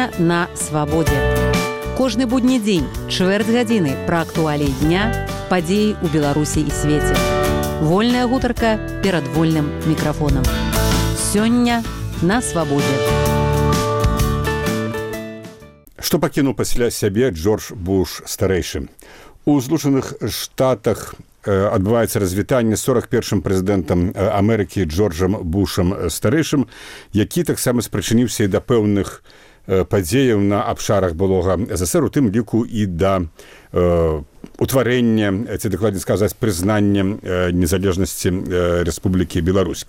Сёння на свабодзе. Кожны будні дзень, чвэрць гадзіны пра актуаліі дня, падзеі ў Беларусі і свеце. Вольная гутарка перад вольным мікрафонам. Сёння на свабодзе. Што пакінуў пасля сябе Джордж Буш старэйшы? У Злучаных Штатах адбываецца развітанне з 41-м прэзідэнтам Амерыкі Джорджам Бушам старэйшым, які таксама спрычыніўся і да пэўных падзеяў на абшарах былога СССР, у тым ліку і да утварэння, ці дакладней сказаць, прызнання незалежнасці Рэспублікі Беларусь.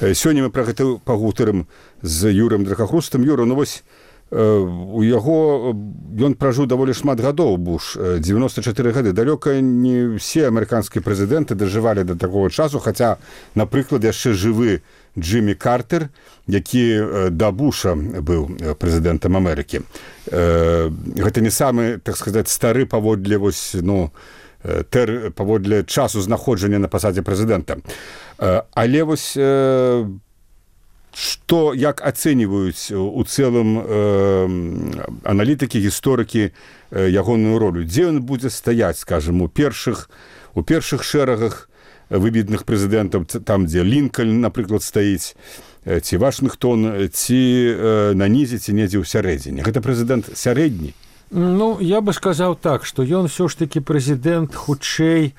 Сёння мы пра гэта пагутарым з Юрыем Дракахрустам. Юра, ну вось, у яго ён пражыў даволі шмат гадоў, Буш, 94 гады. Далёка не ўсе амерыканскія прэзідэнты дажывалі да такого часу, хаця, напрыклад, яшчэ жывы Джиммі Картер, які да Буша быў прэзідэнтам Амерыкі. Гэта не самы, так сказаць, стары паводле вось, паводле часу знаходжання на пасадзе прэзідэнта. Але вось што, як ацэньваюць у цэлым аналітыкі, гісторыкі ягоную ролю? Дзе ён будзе стаяць, скажам, у першых шэрагах выбітных прэзідэнтаў, там, дзе Лінкольн, напрыклад, стаіць, ці Вашынгтон, ці на нізе, ці недзе ў сярэдзіне? Гэта прэзідэнт сярэдні? Ну, я бы сказаў так, што ён ўсё ж такі прэзідэнт хутчэй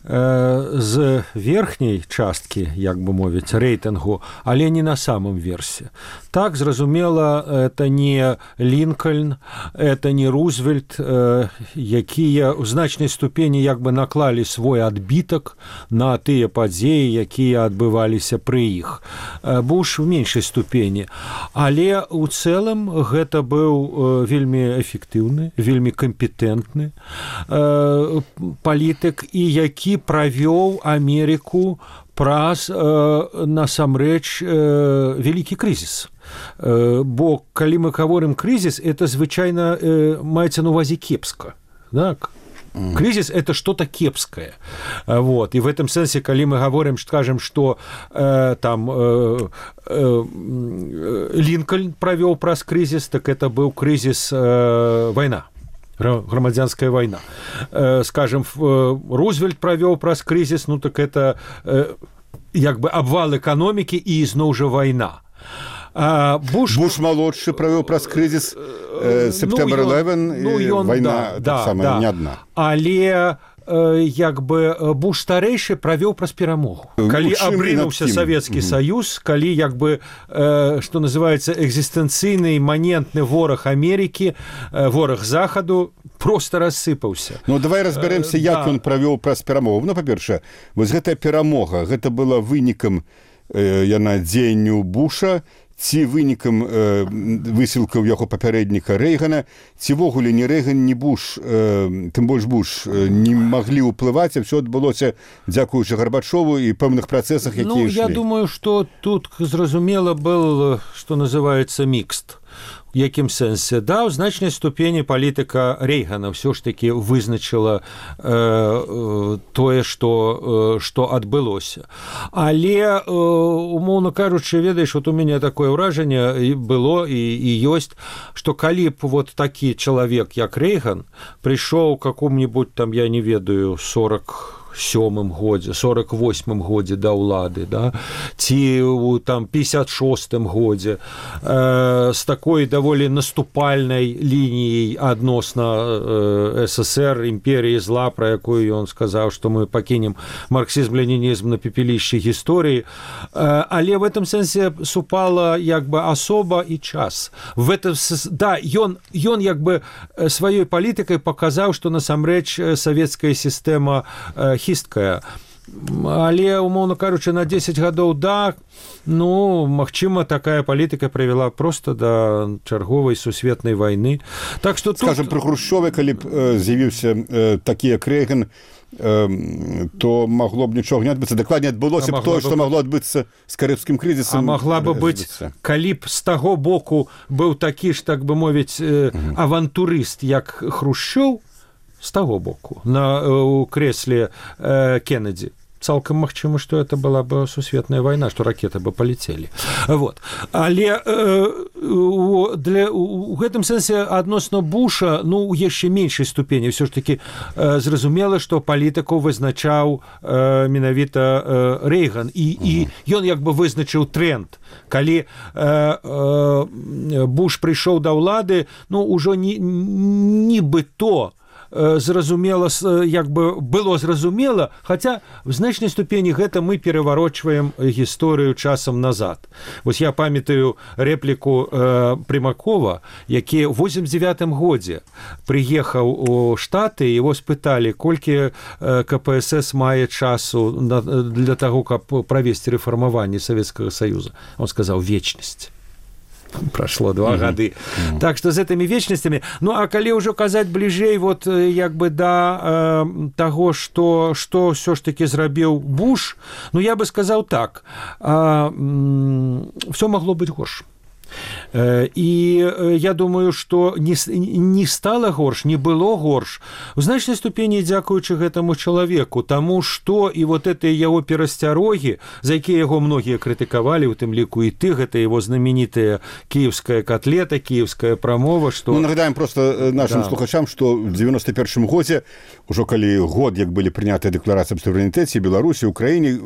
з верхняй часткі, як бы мовіць, рэйтынгу, але не на самым версе. Так, зразумела, это не Лінкольн, это не Рузвельт, якія ў значнай ступені як бы наклалі свой адбітак на тыя падзеі, якія адбываліся пры іх. Буш у меншай ступені. Але ў цэлым гэта быў вельмі эфектыўны, вельмі кампетэнтны палітык, і які правёў Амерыку праз насамрэч вялікі крызіс. Бо калі мы гаворым крызіс, это звычайна маецца на увазе кепска. Так? Кризис – это что-то кепское. Вот. И в этом сенсе, когда мы говорим, скажем, что Линкольн провел праз кризис, так это был кризис война. Громадянская война. Скажем, Рузвельт провел праз кризис, ну так это як бы обвал экономики и изноў жа война. Буш малодшы правёў праз крызіс Септэмбер 11, вайна таксама не адна. Але як бы Буш старэйшы правёў праз перамогу. Калі абрынуўся Савецкі Саюз, калі як бы, што называецца, экзістэнцыйны іманентны вораг Амерыкі, вораг Захаду проста рассыпаўся. Ну, давай разбярэмся, як ён правёў праз перамогу. Ну, па-першае, вось гэтая перамога, гэта была вынікам яна дзеянню Буша, ці вынікам высілкаў яго папярэдніка Рэйгана, ці вогуле ні Рэйган, ні Буш, тым больш Буш, не маглі ўплываць, а ўсё адбылося дзякуючы Гарбачову і пэўных працэсах, якія ішлі. Я думаю, што тут, зразумела, был, што называецца, мікст. У якім сэнсе? Да, ў значнай ступені палітыка Рэйгана ўсё ж такі вызначыла тое, што адбылося. Але, умоўна кажучы, ведаеш, вот у мяне такое ўражанне было і ёсць, што калі б вот такі чалавек, як Рэйган, прыйшоў какому-нибудь там, я не ведаю, 47-м годзе, 48-м годзе да ўлады, да? Ці ў там 56-м годзе з такой даволі наступальнай лініяй адносна СССР, імперіі зла, пра якую ён сказаў, што мы пакінем марксізм-ленінізм на пепелішчы гісторыі. Але в этом сэнсе супала як бы асоба і час. Да, ён як бы сваёй палітыкай паказаў, што насамрэч савецкая сістэма хісткая. Але, умоўна кажучы, на 10 гадоў да, ну, магчыма, такая палітыка прывяла проста да чарговай сусветнай вайны. Так што тут... Скажем, пры Хрушчове, калі б з'явіўся такі, як Рэйган, то магло б нічога не адбыцца. Дакладней, адбылося б тое, што магло адбыцца з карыбскім крызісам. А магла бы быць, калі б з таго боку быў такі ж, так бы мовіць, авантурыст, як Хрушчоў, з таго боку, у крэсле Кеннеді. Цалкам магчыма, што это была бы сусветная вайна, што ракеты бы палецелі. Вот. Але у гэтым сэнсе адносна Буша, ну, у яшчэ меншай ступені ўсё ж такі зразумела, што палітыку вызначаў менавіта Рэйган, і ён як бы вызначыў тренд. Калі Буш прыйшоў да ўлады, ну, ужо нібыто зразумела, як бы было зразумела, хаця в значнай ступені гэта мы пераварочваем гісторыю часам назад. Вось я памятаю рэпліку Прымакова, які ў 89-м годзе прыехаў у Штаты, его спыталі, колькі КПСС мае часу для таго, каб правесці рэфармаванне Савецкага Саюза. Он сказаў вечнасць. Прошло 2 гады. Так что з гэтымі вечнасцямі. Ну, а калі ўжо казаць бліжэй вот як бы да таго, што ўсё ж такі зрабіў Буш, ну, я бы сказаў так, всё магло быць горш. І я думаю, што не стала горш, не было горш. У значнай ступені дзякуючы гэтаму чалавеку, таму што і вот гэтыя яго перасцярогі, за якія яго многія крытыкавалі, у тым ліку і ты, гэта яго знаменітая кіеўская котлета, кіеўская прамова, што... Ну, нагадаем просто нашим слухачам, што в 91-м годзе, ужо калі год, як былі прынятыя дэкларацыі аб суверэнітэце Беларусі, Украіне,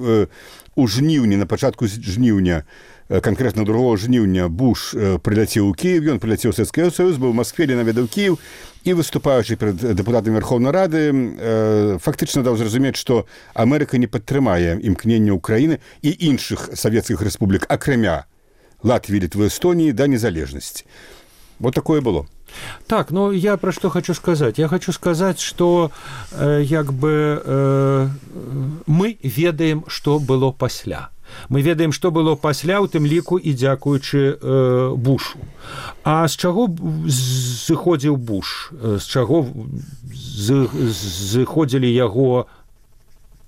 у жніўні, на пачатку жніўня, конкретно 2 жніўня Буш прыляцеў у Кіев, ён прыляцеў у Савецкі Саюз, быў у Москве, наведаў Кіев, і выступаючы перад дэпутатамі Верховнай Рады фактычна даў зразумець, што Амерыка не падтрымае імкнення Украіны і іншых савецкіх рэспублік, акрамя Латвіі, Літвы, Эстоніі, да незалежнасці. Вот такое было. Так, ну, я про что хочу сказать? Я хочу сказать, что як бы мы ведаем, што было пасля. Мы ведаем, што было пасля, у тым ліку і дзякуючы Бушу. А з чаго зыходзіў Буш? З чаго зыходзілі яго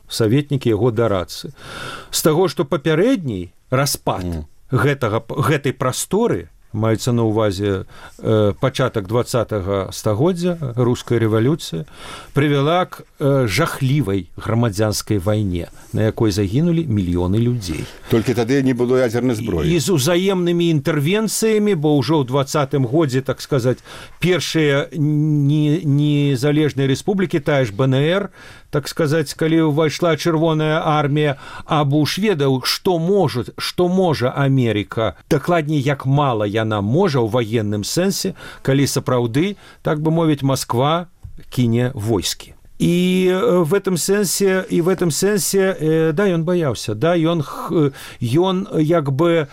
саветнікі, яго дарадцы? З таго, што папярэдні распад гэтай прасторы, маецца на ўвазе пачатак 20-го стагоддзя, руская рэвалюцыя, прывяла к жахлівай грамадзянскай вайне, на якой загінулі мільёны людзей. Толькі тады не было ядзернай зброі. І з узаемнымі інтэрвенцыямі, бо ўжо ў 20-м годзе, так сказаць, першыя незалежныя рэспублікі, тая ж БНР, так сказаць, калі ўвайшла чырвоная армія, а Буш ведаў, што можа Амерыка, дакладней, як мала яна можа ў ваенным сэнсе, калі сапраўды, так бы мовіць, Москва кіне войскі. І в этом сэнсе, да, ён баяўся, да, ён як бы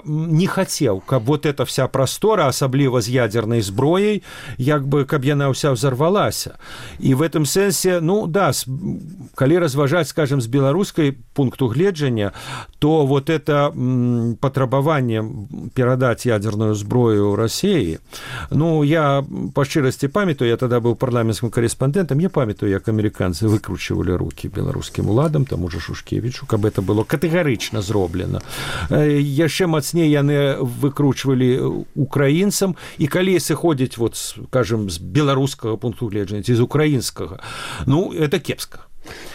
не хацеў, каб вот эта вся прастора, асабліва з ядзернай зброяй, як бы, каб яна ўся взорвалася. І в этом сэнсе, ну, да, калі разважаць, скажем, з беларускай пункту гледжання, то вот это патрабаванне перадаць ядзерную зброю Расіі, ну, я па шчырасці памятаю, я тады быў парламенцкім корэспандэнтам, я памятаю, як амерыканцы выкручвалі рукі беларускім уладам, таму же Шушкевічу, каб это было катэгарычна зроблена. Яшчэ мацней яны выкручвалі украінцам, і калі сыходзіць, вот, скажем, з беларускага пункту гледжання ці з украінскага, ну, это кепска.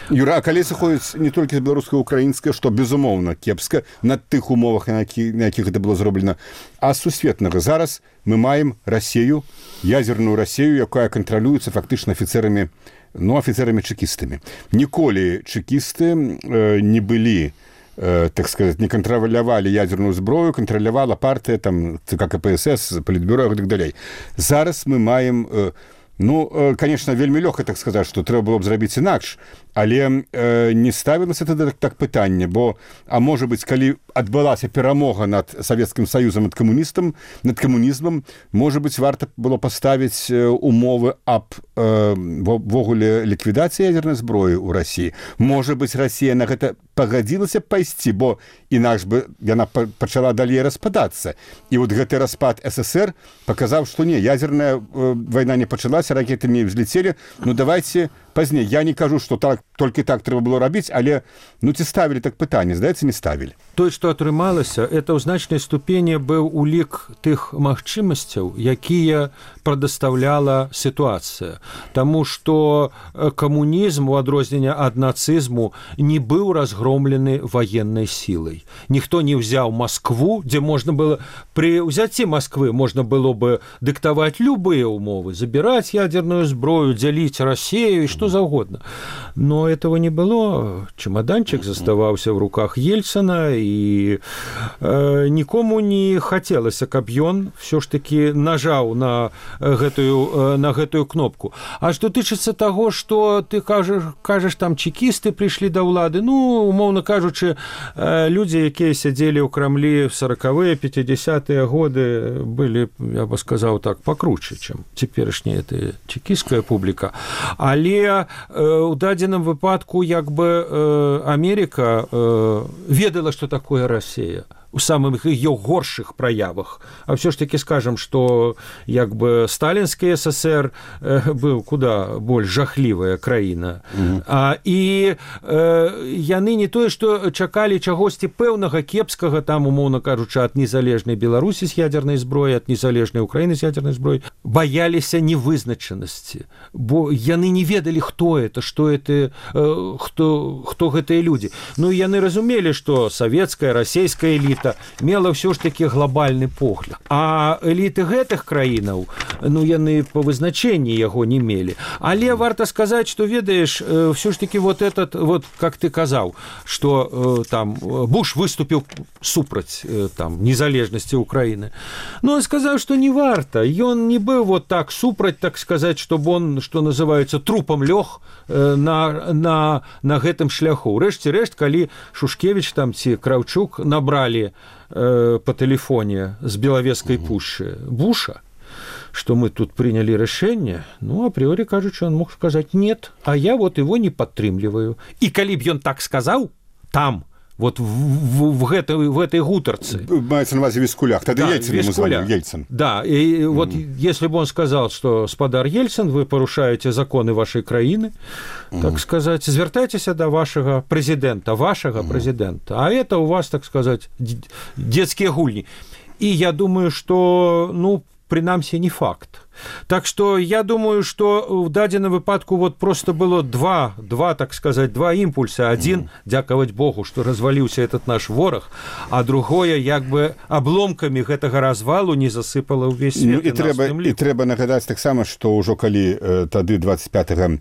Юра, а калі сыходзіць не толькі з беларускага, украінскага, што, безумоўна, кепска на тых умовах, на якіх гэта было зроблена, а сусветнага. Зараз мы маем Расію, ядзерную Расію, якая кантралюецца фактычна афіцэрамі-чэкістамі. Ніколі чэкісты не былі, так сказать, не кантралявалі ядзерную зброю, кантралявала партыя, там, ЦК КПСС, Палітбюро і так далей. Зараз мы маем... Ну, конечно, вельмі лёгка так сказаць, што трэба было б зрабіць інакш, але не ставілася тады так пытанне, бо, а можа быць, калі адбылася перамога над Савецкім Саюзам, над камунізмам, можа быць, варта было паставіць умовы аб ввогуле ліквідацыі ядзернай зброі ў Расіі. Можа быць, Расія на гэта пагадзілася пайсці, бо інакш бы яна пачала далей распадацца. І вот гэты распад СССР паказаў, што не, ядзерная вайна не пачалася, ракеты не взлетели, ну давайте пазней. Я не кажу, што так, толькі так трэба было рабіць, але ну ці ставілі так пытанне, здаецца, не ставілі. Тое, што атрымалася, это ў значнай ступені быў улік тых магчымасцяў, якія прадастаўляла сітуацыя. Таму што камунізм, у адрозненне ад нацызму, не быў разгромлены ваеннай сілай. Ніхто не ўзяў Маскву, дзе можна было пры ўзяцці Масквы можна было бы дыктаваць любыя ўмовы, забіраць ядерную зброю, дзяліць Россию и что заўгодна. Но этого не было. Чемоданчик заставаўся в руках Ельцина, и нікому не хацелася, каб ён все ж таки нажаў на гэтую кнопку. А что тычыцца того, что ты кажаш там чекісты прыйшлі да ўлады, ну, умоўна кажучы, людзі, якія сядзелі ў Крамлі в 40-е, 50-е годы, былі, я бы сказаў так, покруче, чым цяперашняя эта чекістская публіка. Але ў дадзеным выпадку як бы Америка ведала, што такое Россия у самых ее горшых проявах. А все ж таки скажем, что як бы сталинский СССР был куда больш жахлівая краіна. І яны не тое, што чакалі чагосьці пэўнага кепскага, там, умоўна кажучы, ад незалежнай Беларусі з ядернай зброі, ад незалежнай Украіны з ядернай зброі, баяліся невызначанасці, бо яны не ведалі, хто это, што это, хто гэтыя людзі. Ну, яны разумелі, што савецкая, расійская эліта мела ўсё ж такі глобальны погляд. А эліты гэтых краінаў, ну, яны по вызначэнні яго не мелі. Але варта сказаць, што, ведаеш, ўсё ж такі вот этот, вот, как ты казаў, што там Буш выступіў супраць там незалежнасці Украіны. Ну, он сказаў, што не варта. Ён не быў вот так супраць, так сказаць, чтобы он, што называецца, трупам лёг на гэтым шляху. Урэшце рэшт, калі Шушкевич там ці Кравчук набралі по телефоне с Беловежской пуши Буша, что мы тут приняли решение, ну, априори, кажется, он мог сказать нет, а я вот его не подтрымливаю. И коли б он так сказал, там, вот в этой гутарцы. Мається на увазі в Вискулях. Тогда да, Ельцин ему звонил, Ельцин. Да, и вот если бы он сказал, что, господар Ельцин, вы порушаете законы вашей краины, так сказать, звертайтесь до вашего президента, а это у вас, так сказать, детские гульни. И я думаю, что, ну, принамсі, не факт. Так что я думаю, что в дадзеным выпадку вот просто было два, так сказать, два импульса. Один, дзякаваць Богу, что развалился этот наш ворог, а другое, як бы обломками гэтага развалу не засыпало ўвесь свет. Ну, и трэба нагадаць таксама, что ўжо калі тады 25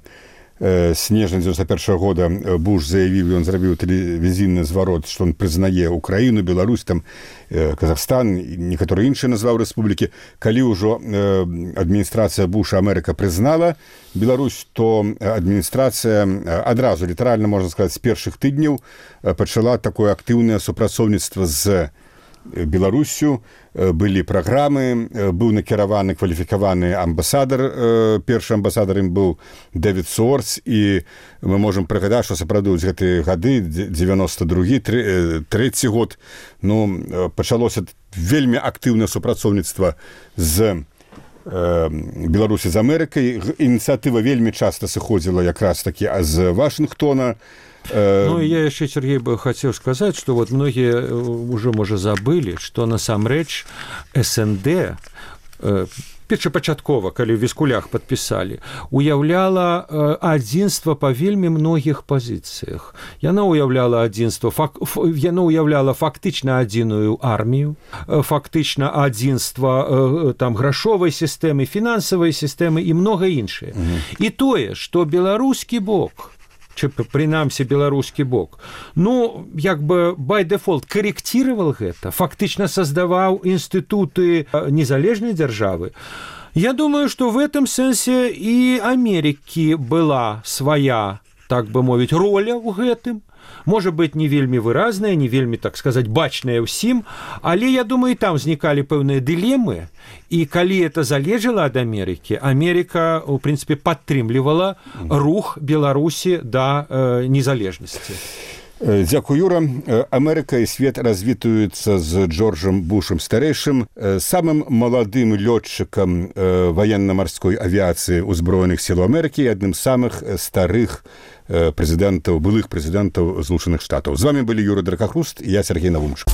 снежня 91 года Буш заявіў, ён зрабіў тэлевізійны зварот, што он прызнае Украіну, Беларусь, там Казахстан, некаторыя іншыя назваў рэспублікі. Калі ўжо адміністрацыя Буша, Амерыка прызнала Беларусь, то адміністрацыя адразу, літаральна, можна сказаць, з першых тыдняў пачала такое актыўнае супрацоўніцтва з Беларусю. Былі праграмы, быў накіраваны кваліфікаваны амбасадар, першы амбасадар ім быў Дэвід Сорс, і мы можам прыгадаць, што сапраўды ў гэтыя гады, 92-й, 3-й год, ну, пачалося вельмі актыўнае супрацоўніцтва з Беларусі з Амерыкай. Ініцыятыва вельмі часта сыходзіла якраз такі з Вашынгтона. Ну, я еще, Сергей, бы хотел сказать, что вот многие уже, может, забыли, что насамрэч СНД першапачаткова, калі ў Віскулях падпісалі, уяўляла адзінства па вельмі многіх пазіцыях. Яна уяўляла адзінства, яна уяўляла фактычна адзіную армію, фактычна адзінства там грашовай сістэмы, фінансавай сістэмы і многа іншае. І тое, што беларускі бок, прынамсі беларускі бок, ну, як бы by default корректировал гэта, фактычна создаваў інстытуты незалежнай дзяржавы. Я думаю, что в этом сэнсе и Америки была своя, так бы мовіць, роля ў гэтым. Может быть, не вельмі выразная, не вельмі, так сказать, бачная ўсім, але, я думаю, і там знікалі пэўныя дылемы, і калі это залежала ад Амерыкі, Америка, в принципе, падтрымлівала рух Беларусі да незалежнасці. Дзякуй, Юра. Амерыка і свет развітуюцца з Джорджам Бушам старэйшым, самым маладым лётчыкам ваенна-марской авіяцыі ўзброеных сіл Амерыкі і адным з самых старых прэзідэнтаў, былых прэзідэнтаў Злучаных Штатаў. З вами былі Юра Дракахруст і я, Сергей Навумчык.